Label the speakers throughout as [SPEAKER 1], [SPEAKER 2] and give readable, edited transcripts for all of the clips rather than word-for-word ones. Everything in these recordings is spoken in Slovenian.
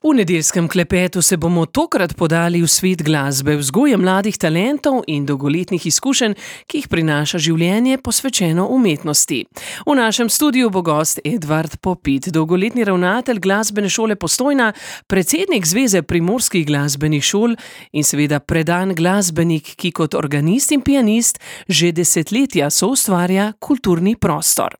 [SPEAKER 1] V nedeljskem klepetu se bomo tokrat podali v svet glasbe, vzgoje mladih talentov in dolgoletnih izkušenj, ki jih prinaša življenje posvečeno umetnosti. V našem studiu bo gost Edvard Popit, dolgoletni ravnatelj glasbene šole Postojna, predsednik Zveze primorskih glasbenih šol in seveda predan glasbenik, ki kot organist in pianist že desetletja soustvarja kulturni prostor.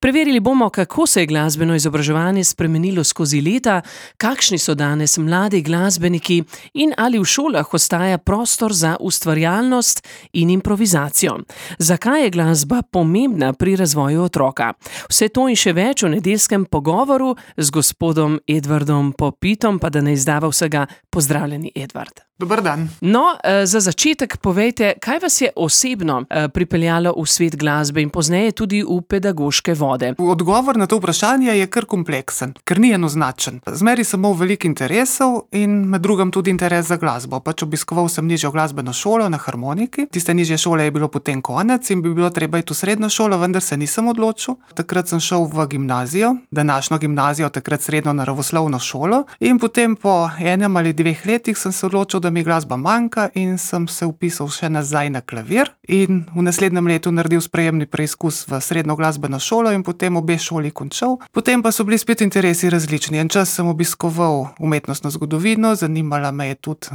[SPEAKER 1] Preverili bomo, kako se je glasbeno izobraževanje spremenilo skozi leta, kakšni so danes mladi glasbeniki in ali v šolah ostaja prostor za ustvarjalnost in improvizacijo. Zakaj je glasba pomembna pri razvoju otroka? Vse to in še več v nedeljskem pogovoru z gospodom Edvardom Popitom, pa da ne izdava vsega. Pozdravljeni, Edvard.
[SPEAKER 2] Dober dan.
[SPEAKER 1] No, za začetek povejte, kaj vas je osebno pripeljalo v svet glasbe in pozneje tudi v pedagoške vode?
[SPEAKER 2] Odgovor na to vprašanje je kar kompleksen, ker ni enoznačen. Zmeri sem imel veliko interesov in med drugim tudi interes za glasbo. Obiskoval sem nižjo glasbeno šolo na harmoniki. Tiste nižje šole je bilo potem konec in bi bilo treba iti v srednjo šolo, vendar se nisem odločil. Takrat sem šel v gimnazijo, današnjo gimnazijo, takrat srednjo naravoslovno šolo, in potem po enem ali 2 letih sem se odločil, da mi glasba manjka, in sem se vpisal še nazaj na klavir in v naslednjem letu naredil sprejemni preizkus v srednjo glasbeno šolo in potem obe šoli končal. Potem pa so bili spet interesi različni. En čas sem obiskoval umetnostno zgodovino, zanimala me je tudi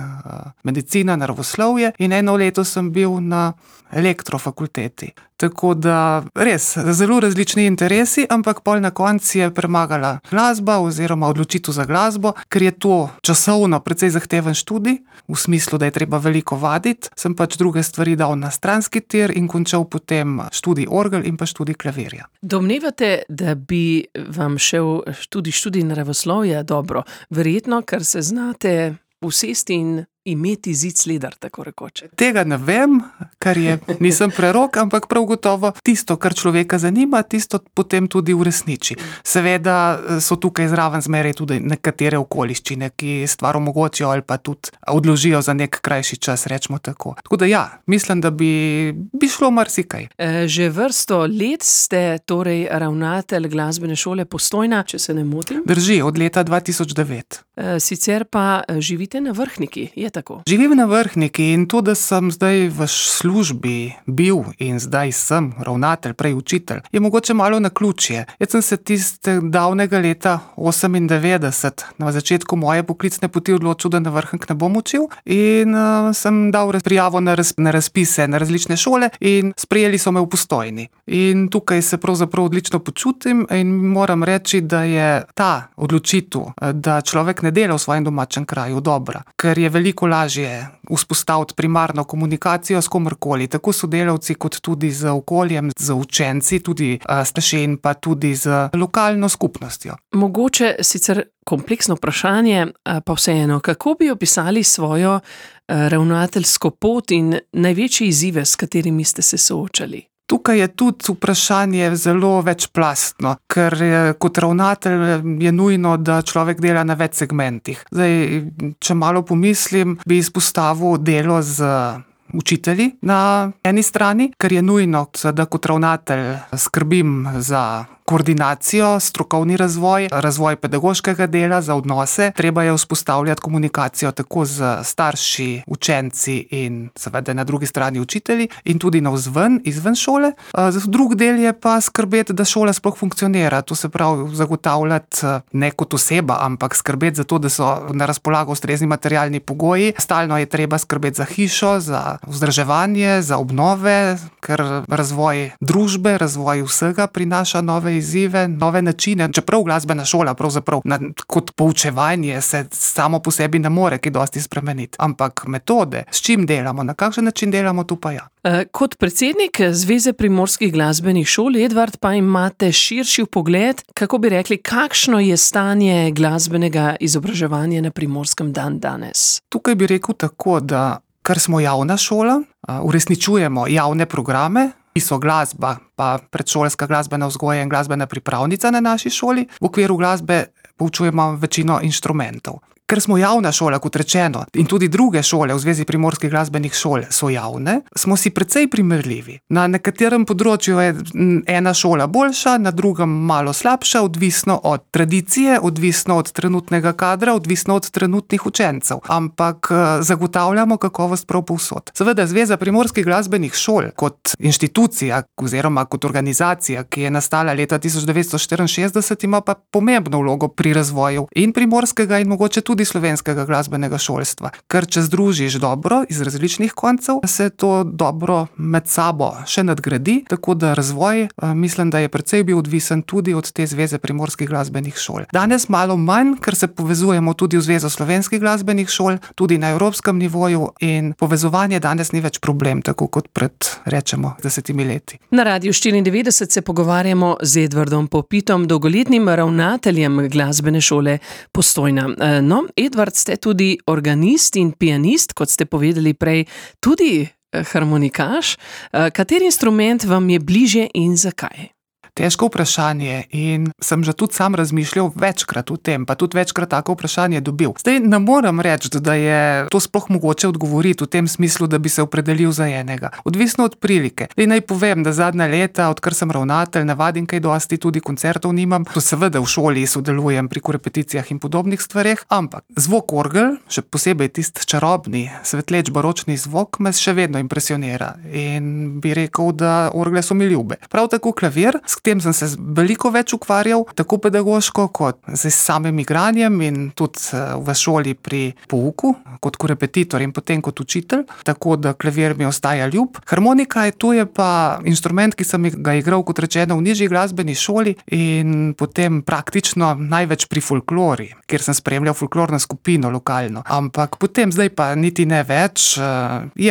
[SPEAKER 2] medicina, naravoslovje, in eno leto sem bil na elektrofakulteti. Tako da res, zelo različni interesi, ampak pol na koncu je premagala glasba oziroma odločitev za glasbo, ker je to časovno precej zahteven študij, v smislu, da je treba veliko vaditi. Sem druge stvari dal na stranski tir in končal potem študij orgel in pa študij klavirja.
[SPEAKER 1] Domnevate, da bi vam šel tudi študij naravoslovja dobro? Verjetno, ker se znate usesti in imeti zid sledar, tako rekoč.
[SPEAKER 2] Tega ne vem, ker nisem prerok, ampak prav gotovo tisto, kar človeka zanima, tisto potem tudi uresniči. Seveda so tukaj zraven zmeraj tudi nekatere okoliščine, ki stvar omogočijo ali pa tudi odložijo za nek krajši čas, rečemo tako. Tako da ja, mislim, da bi šlo marsikaj.
[SPEAKER 1] Že vrsto let ste torej ravnatelj glasbene šole Postojna, če se ne motim?
[SPEAKER 2] Drži, od leta 2009.
[SPEAKER 1] Sicer pa živite na Vrhniki, je tako?
[SPEAKER 2] Živim na Vrhniki in to, da sem zdaj v službi bil in zdaj sem ravnatelj, prej učitelj, je mogoče malo naključje. Jaz sem se tiste davnega leta 98 na začetku moje poklicne poti odločil, da na Vrhnik ne bom učil, in sem dal prijavo na razpise na različne šole in sprejeli so me v Postojni. In tukaj se pravzaprav odlično počutim in moram reči, da je ta odločitev, da človek ne dela v svojem domačem kraju, dobra, ker je veliko lažje vzpostaviti primarno komunikacijo s komorkoli, tako sodelavci kot tudi z okoljem, z učenci, tudi starši in pa tudi z lokalno skupnostjo.
[SPEAKER 1] Mogoče sicer kompleksno vprašanje, pa vseeno, kako bi opisali svojo ravnateljsko pot in največje izzive, s katerimi ste se soočali?
[SPEAKER 2] Tukaj je tudi vprašanje zelo večplastno, ker kot ravnatelj je nujno, da človek dela na več segmentih. Zdaj, če malo pomislim, bi izpostavil delo z učitelji na eni strani, ker je nujno, da kot ravnatelj skrbim za koordinacijo, strokovni razvoj pedagoškega dela, za odnose. Treba je vzpostavljati komunikacijo tako z starši, učenci in seveda na drugi strani učitelji in tudi navzven, izven šole. Drug del je pa skrbeti, da šola sploh funkcionira. To se pravi zagotavljati ne kot oseba, ampak skrbeti za to, da so na razpolago ustrezni materialni pogoji. Stalno je treba skrbeti za hišo, za vzdrževanje, za obnove, ker razvoj družbe, razvoj vsega prinaša nove izzive, nove načine. Čeprav glasbena šola pravzaprav kot poučevanje se samo po sebi ne more kaj dosti spremeniti. Ampak metode, s čim delamo, na kakšen način delamo, tu pa ja.
[SPEAKER 1] Kot predsednik Zveze primorskih glasbenih šol, Edvard, pa imate širši pogled, kako bi rekli, kakšno je stanje glasbenega izobraževanja na Primorskem danes?
[SPEAKER 2] Tukaj bi rekel tako, da ker smo javna šola, uresničujemo javne programe, ki so glasba, pa predšolska glasbena vzgoja in glasbena pripravnica na naši šoli. V okviru glasbe poučujemo večino inštrumentov. Ker smo javna šola, kot rečeno, in tudi druge šole v Zvezi primorskih glasbenih šol so javne, smo si precej primerljivi. Na nekaterem področju je ena šola boljša, na drugem malo slabša, odvisno od tradicije, odvisno od trenutnega kadra, odvisno od trenutnih učencev. Ampak zagotavljamo kakovost prav povsod. Seveda Zveza primorskih glasbenih šol kot inštitucija oziroma kot organizacija, ki je nastala leta 1964, ima pa pomembno vlogo pri razvoju in primorskega in mogoče tudi slovenskega glasbenega šolstva. Ker če združiš dobro iz različnih koncev, se to dobro med sabo še nadgradi, tako da razvoj, mislim, da je precej bil odvisen tudi od te Zveze primorskih glasbenih šol. Danes malo manj, ker se povezujemo tudi v Zvezo slovenskih glasbenih šol, tudi na evropskem nivoju in povezovanje danes ni več problem, tako kot pred, rečemo, 10 leti.
[SPEAKER 1] Na Radiu 94 se pogovarjamo z Edvardom Popitom, dolgoletnim ravnateljem glasbene šole Postojna. No, Edvard, ste tudi organist in pianist, kot ste povedali prej, tudi harmonikaš. Kateri instrument vam je bližje in zakaj?
[SPEAKER 2] Težko vprašanje in sem že tudi sam razmišljal večkrat o tem, pa tudi večkrat tako vprašanje dobil. Zdaj ne morem reči, da je to sploh mogoče odgovoriti v tem smislu, da bi se opredelil za enega. Odvisno od prilike. Zdaj naj povem, da zadnja leta, odkar sem ravnatelj, ne vadim kaj dosti, tudi koncertov nimam. To seveda v šoli sodelujem pri korepeticijah in podobnih stvareh, ampak zvok orgel, še posebej tisti čarobni, svetleč baročni zvok, me še vedno impresionira in bi rekel, da orgle so mi ljube. Prav tako klavir, s tem sem se veliko več ukvarjal, tako pedagoško kot z samim igranjem in tudi v šoli pri pouku, kot korepetitor in potem kot učitelj, tako da klavir mi ostaja ljub. Harmonika to je pa instrument, ki sem ga igral, kot rečeno, v nižji glasbeni šoli in potem praktično največ pri folklori, kjer sem spremljal folklorno skupino lokalno. Ampak potem zdaj pa niti ne več,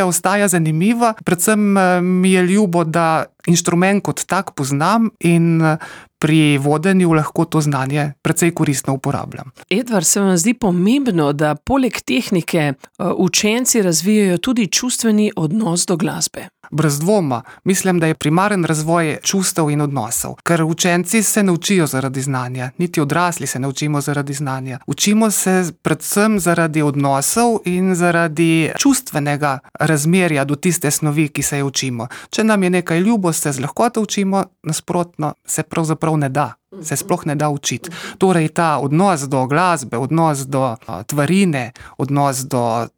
[SPEAKER 2] ostaja zanimiva, predvsem mi je ljubo, da inštrument kot tak poznam in pri vodenju lahko to znanje precej koristno uporabljam.
[SPEAKER 1] Edvard, se vam zdi pomembno, da poleg tehnike učenci razvijajo tudi čustveni odnos do glasbe?
[SPEAKER 2] Brez dvoma. Mislim, da je primaren razvoj čustev in odnosov. Ker učenci se ne učijo zaradi znanja, niti odrasli se ne učimo zaradi znanja. Učimo se predvsem zaradi odnosov in zaradi čustvenega razmerja do tiste snovi, ki se je učimo. Če nam je nekaj ljubo, se z lahkoto učimo, nasprotno se pravzaprav ne da. Se sploh ne da učiti. Torej ta odnos do glasbe, odnos do tvarine, odnos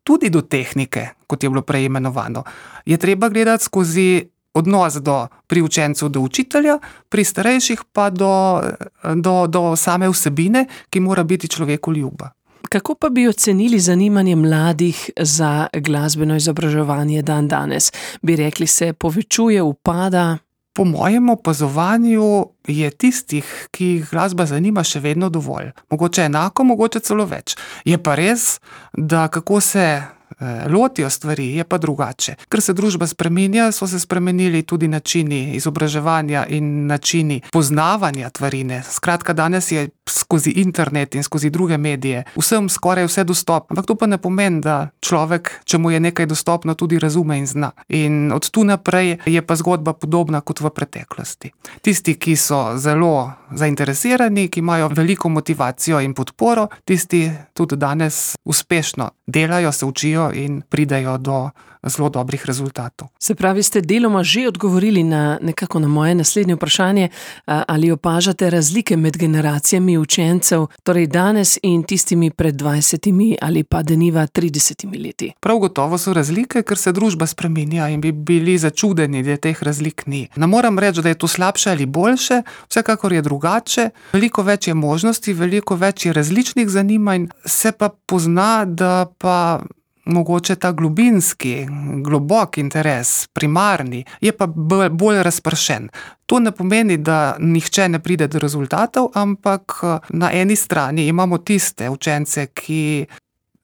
[SPEAKER 2] tudi do tehnike, kot je bilo prej imenovano, je treba gledati skozi odnos pri učencu do učitelja, pri starejših pa do same vsebine, ki mora biti človeku ljuba.
[SPEAKER 1] Kako pa bi ocenili zanimanje mladih za glasbeno izobraževanje danes? Bi rekli, se povečuje, upada?
[SPEAKER 2] Po mojem opazovanju je tistih, ki jih glasba zanima, še vedno dovolj. Mogoče enako, mogoče celo več. Je pa res, da kako se lotijo stvari, je pa drugače. Ker se družba spreminja, so se spremenili tudi načini izobraževanja in načini poznavanja tvarine. Skratka, danes je skozi internet in skozi druge medije vsem skoraj vse dostopno. Ampak to pa ne pomeni, da človek, če mu je nekaj dostopno, tudi razume in zna. In od tu naprej je pa zgodba podobna kot v preteklosti. Tisti, ki so zelo zainteresirani, ki imajo veliko motivacijo in podporo, tisti tudi danes uspešno delajo, se učijo in pridejo do zelo dobrih rezultatov.
[SPEAKER 1] Se pravi, ste deloma že odgovorili nekako na moje naslednje vprašanje, ali opažate razlike med generacijami učencev, torej danes in tistimi pred 20 ali pa deniva 30 leti?
[SPEAKER 2] Prav gotovo so razlike, ker se družba spreminja in bi bili začudeni, da teh razlik ni. Ne moram reči, da je to slabše ali boljše, vsekakor je drugače, veliko več je možnosti, veliko več je različnih zanimanj, se pa pozna, da pa mogoče ta globinski, globok interes, primarni, je pa bolj razpršen. To ne pomeni, da nihče ne pride do rezultatov, ampak na eni strani imamo tiste učence, ki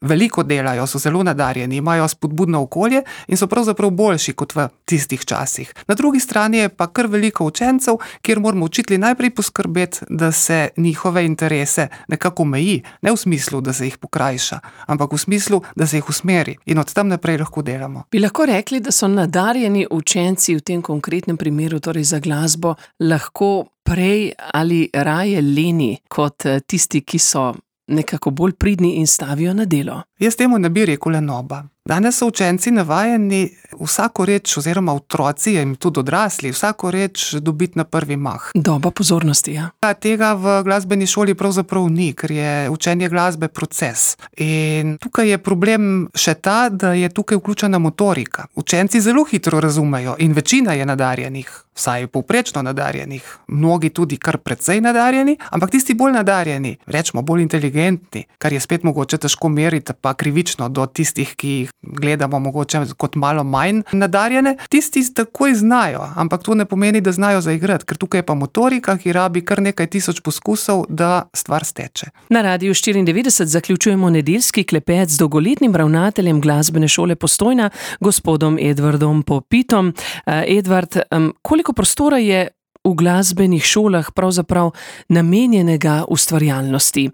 [SPEAKER 2] veliko delajo, so zelo nadarjeni, imajo spodbudno okolje in so pravzaprav boljši kot v tistih časih. Na drugi strani je pa kar veliko učencev, kjer moramo učitelji najprej poskrbeti, da se njihove interese nekako meji, ne v smislu, da se jih pokrajša, ampak v smislu, da se jih usmeri in od tam naprej lahko delamo.
[SPEAKER 1] Bi lahko rekli, da so nadarjeni učenci v tem konkretnem primeru, torej za glasbo, lahko prej ali raje leni kot tisti, ki so nekako bolj pridni in stavijo na delo.
[SPEAKER 2] Jaz temu ne bi rekel lenoba. Danes so učenci navajeni vsako reč, oziroma otroci in tudi odrasli, vsako reč dobiti na prvi mah.
[SPEAKER 1] Doba pozornosti, ja.
[SPEAKER 2] Tega v glasbeni šoli pravzaprav ni, ker je učenje glasbe proces. In tukaj je problem še ta, da je tukaj vključena motorika. Učenci zelo hitro razumejo in večina je nadarjenih, vsaj povprečno nadarjenih, mnogi tudi kar precej nadarjeni, ampak tisti bolj nadarjeni, rečemo bolj inteligentni, kar je spet mogoče težko meriti, pa krivično do tistih, ki jih gledamo mogoče kot malo manj nadarjene, tisti takoj znajo, ampak to ne pomeni, da znajo zaigrati, ker tukaj je pa motorika, ki rabi kar nekaj tisoč poskusov, da stvar steče.
[SPEAKER 1] Na Radiu 94 zaključujemo nedeljski klepet z dolgoletnim ravnateljem glasbene šole Postojna, gospodom Edvardom Popitom. Edvard, koliko prostora je v glasbenih šolah pravzaprav namenjenega ustvarjalnosti,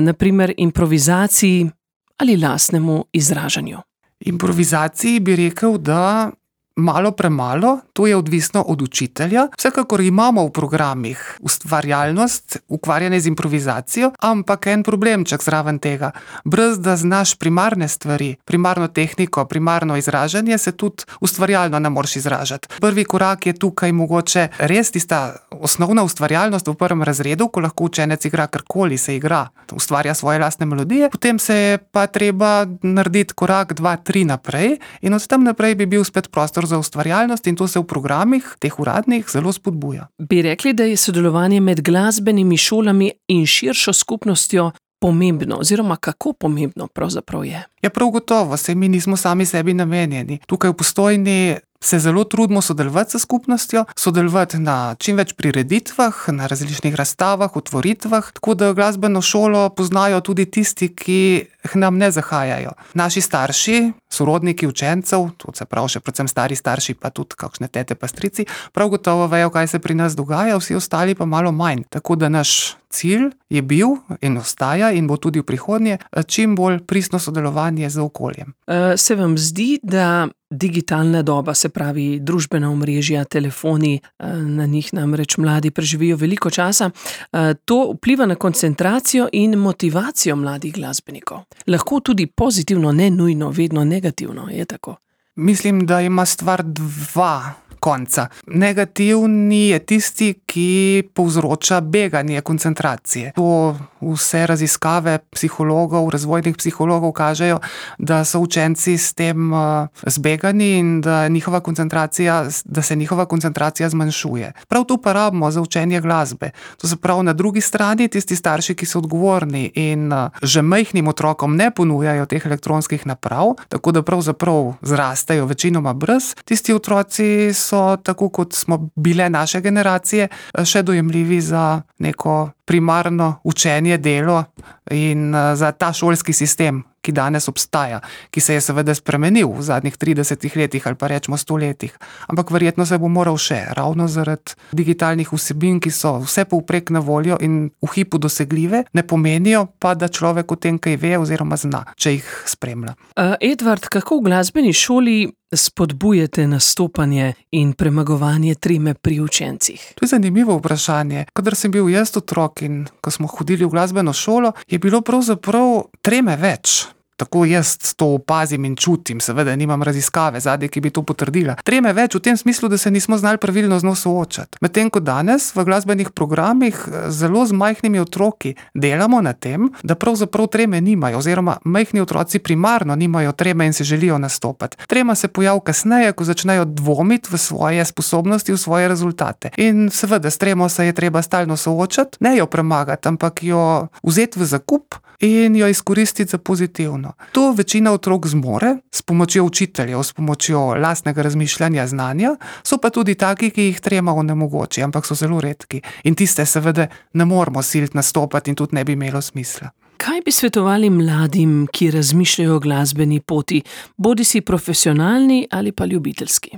[SPEAKER 1] naprimer improvizaciji ali lastnemu izražanju?
[SPEAKER 2] Improvizaciji bi rekel, da malo premalo, to je odvisno od učitelja. Vsekakor imamo v programih ustvarjalnost, ukvarjanje z improvizacijo, ampak en problemček zraven tega. Brez da znaš primarne stvari, primarno tehniko, primarno izražanje, se tudi ustvarjalno ne moreš izražati. Prvi korak je tukaj mogoče res tista osnovna ustvarjalnost v prvem razredu, ko lahko učenec igra karkoli, se igra, ustvarja svoje lastne melodije, potem se je pa treba narediti korak 2, 3 naprej in od tam naprej bi bil spet prostor za ustvarjalnost in to se v programih, teh uradnih, zelo spodbuja.
[SPEAKER 1] Bi rekli, da je sodelovanje med glasbenimi šolami in širšo skupnostjo pomembno, oziroma kako pomembno pravzaprav je?
[SPEAKER 2] Ja, prav gotovo, saj mi nismo sami sebi namenjeni. Tukaj v Postojni se zelo trudimo sodelovati s skupnostjo, sodelovati na čim več prireditvah, na različnih razstavah, otvoritvah, tako da glasbeno šolo poznajo tudi tisti, ki k nam ne zahajajo. Naši starši, sorodniki učencev, to se pravi še predvsem stari starši, pa tudi kakšne tete pa strici, prav gotovo vejo, kaj se pri nas dogaja, vsi ostali pa malo manj. Tako da naš cilj je bil in ostaja in bo tudi v prihodnje čim bolj pristno sodelovanje z okoljem.
[SPEAKER 1] Se vam zdi, da digitalna doba, se pravi družbena omrežja, telefoni, na njih namreč mladi preživijo veliko časa, to vpliva na koncentracijo in motivacijo mladih glasbenikov? Lahko tudi pozitivno, ne nujno, vedno negativno, je tako?
[SPEAKER 2] Mislim, da ima stvar dva konca. Negativni je tisti, ki povzroča beganje koncentracije. To vse raziskave psihologov, razvojnih psihologov kažejo, da so učenci s tem zbegani in da se njihova koncentracija zmanjšuje. Prav to pa rabimo za učenje glasbe. To se pravi, na drugi strani tisti starši, ki so odgovorni in že majhnim otrokom ne ponujajo teh elektronskih naprav, tako da pravzaprav zrastejo večinoma brez, tisti otroci so, tako kot smo bile naše generacije, še dojemljivi za neko primarno učenje, delo in za ta šolski sistem, ki danes obstaja, ki se je seveda spremenil v zadnjih 30 letih ali pa rečemo 100 letih. Ampak verjetno se bo moral še, ravno zaradi digitalnih vsebin, ki so vse povprek na voljo in v hipu dosegljive, ne pomenijo pa, da človek o tem kaj ve oziroma zna, če jih spremlja.
[SPEAKER 1] Edvard, kako v glasbeni šoli spodbujate nastopanje in premagovanje treme pri učencih?
[SPEAKER 2] To je zanimivo vprašanje. Kadar sem bil jaz otrok in ko smo hodili v glasbeno šolo, je bilo pravzaprav treme več. Tako jaz to opazim in čutim, seveda nimam raziskave zadnje, ki bi to potrdila. Treme več v tem smislu, da se nismo znali pravilno z njo soočati. Medtem ko danes v glasbenih programih zelo z majhnimi otroki delamo na tem, da pravzaprav treme nimajo, oziroma majhni otroci primarno nimajo treme in se želijo nastopati. Trema se pojavi kasneje, ko začnejo dvomiti v svoje sposobnosti, v svoje rezultate. In seveda s tremo se je treba stalno soočati, ne jo premagati, ampak jo vzeti v zakup in jo izkoristiti za pozitivno. To večina otrok zmore s pomočjo učiteljev, s pomočjo lastnega razmišljanja, znanja, so pa tudi taki, ki jih trema onemogoči, ampak so zelo redki. In tiste seveda ne moramo siliti nastopati in tudi ne bi imelo smisla.
[SPEAKER 1] Kaj bi svetovali mladim, ki razmišljajo o glasbeni poti, bodisi profesionalni ali pa ljubiteljski?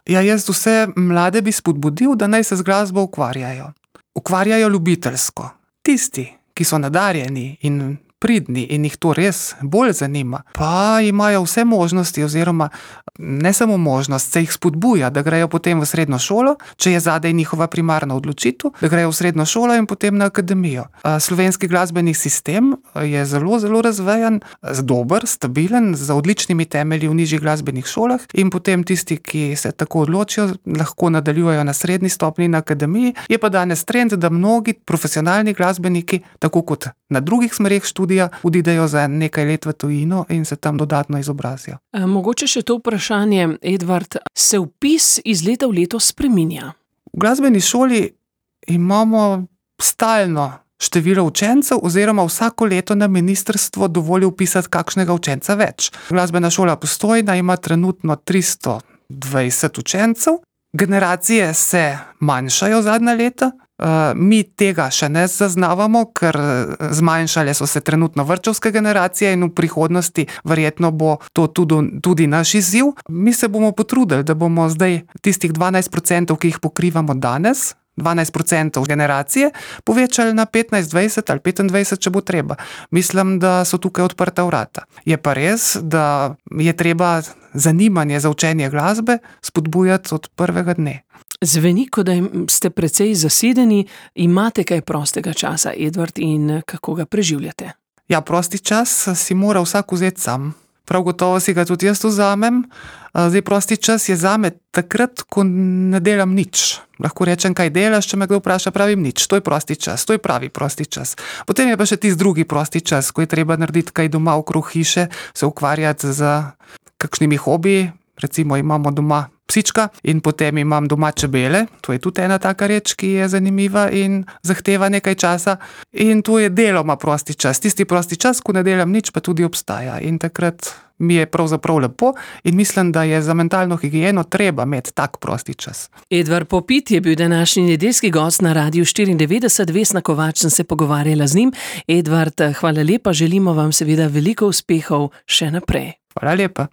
[SPEAKER 2] Ja, jaz vse mlade bi spodbudil, da naj se z glasbo ukvarjajo. Ukvarjajo ljubiteljsko. Tisti, ki so nadarjeni in pridni in jih to res bolj zanima, pa imajo vse možnosti oziroma ne samo možnost, se jih spodbuja, da grejo potem v srednjo šolo, če je zadaj njihova primarna odločitev, da grejo v srednjo šolo in potem na akademijo. Slovenski glasbeni sistem je zelo, zelo razvejan, dober, stabilen, z odličnimi temelji v nižjih glasbenih šolah in potem tisti, ki se tako odločijo, lahko nadaljujejo na srednji stopnji na akademiji. Je pa danes trend, da mnogi profesionalni glasbeniki, tako kot na drugih smereh študija, odidejo za nekaj let v tujino in se tam dodatno izobrazijo.
[SPEAKER 1] Mogoče še to vprašanje, Edvard, se vpis iz leta v leto spreminja?
[SPEAKER 2] V glasbeni šoli imamo stalno število učencev oziroma vsako leto na ministrstvo dovoli vpisati kakšnega učenca več. Glasbena šola Postojna ima trenutno 320 učencev, generacije se manjšajo zadnja leta. Mi tega še ne zaznavamo, ker zmanjšale so se trenutno vrtčevske generacije in v prihodnosti verjetno bo to tudi naš izziv. Mi se bomo potrudili, da bomo zdaj tistih 12%, ki jih pokrivamo danes, 12% generacije, povečali na 15, 20 ali 25, če bo treba. Mislim, da so tukaj odprta vrata. Je pa res, da je treba zanimanje za učenje glasbe spodbujati od prvega dne.
[SPEAKER 1] Zveni, kot da ste precej zasedeni, imate kaj prostega časa, Edvard, in kako ga preživljate?
[SPEAKER 2] Ja, prosti čas si mora vsak vzeti sam. Prav gotovo si ga tudi jaz vzamem. Zdaj, prosti čas je zame takrat, ko ne delam nič. Lahko rečem, kaj delaš, če me kdo vpraša, pravim nič. To je prosti čas, to je pravi prosti čas. Potem je pa še tisti drugi prosti čas, ko je treba narediti kaj doma okrog hiše, se ukvarjati z kakšnimi hobiji. Recimo imamo doma psička in potem imam doma čebele. To je tudi ena taka reč, ki je zanimiva in zahteva nekaj časa. In to je deloma prosti čas. Tisti prosti čas, ko ne delam nič, pa tudi obstaja. In takrat mi je pravzaprav lepo in mislim, da je za mentalno higieno treba imeti tak prosti čas.
[SPEAKER 1] Edvard Popit je bil današnji nedeljski gost na Radiu 94. Vesna Kovač sem se pogovarjala z njim. Edvard, hvala lepa, želimo vam seveda veliko uspehov še naprej.
[SPEAKER 2] Hvala lepa.